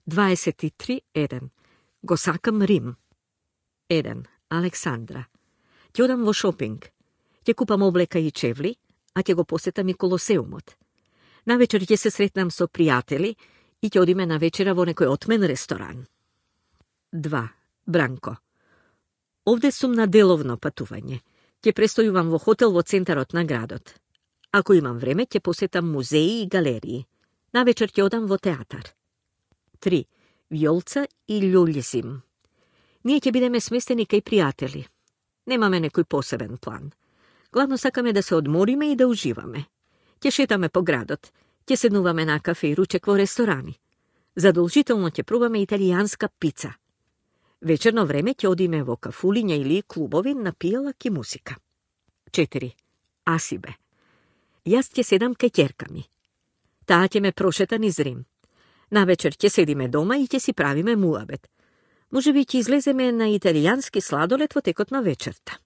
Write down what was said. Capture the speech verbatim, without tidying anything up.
дваесет и три еден. Го сакам Рим. еден. Александра. Ќе одам во шопинг. Ќе купам облека и чевли, а ќе го посетам и Колосеумот. Навечер ќе се сретнам со пријатели и ќе одиме на вечера во некој отмен ресторан. два. Бранко. Овде сум на деловно патување. Ќе престојувам во хотел во центарот на градот. Ако имам време, ќе посетам музеи и галерии. Навечер ќе одам во театар. три. Вјолца и Љулјзим. Ние ќе бидеме сместени кај пријатели. Немаме некој посебен план. Главно сакаме да се одмориме и да уживаме. Ќе шетаме по градот, ќе седнуваме на кафе и ручек во ресторани. Задолжително ќе пробаме италијанска пица. Вечерно време ќе одиме во кафулиња или клубови на пијалак и музика. четири. Асибе. Јас ќе седам кај ќерка ми. Таа ќе ме прошета низ Рим. Навечер ќе седиме дома и ќе си правиме муабет. Може би ќе излеземе на италијански сладолед во текот на вечерта.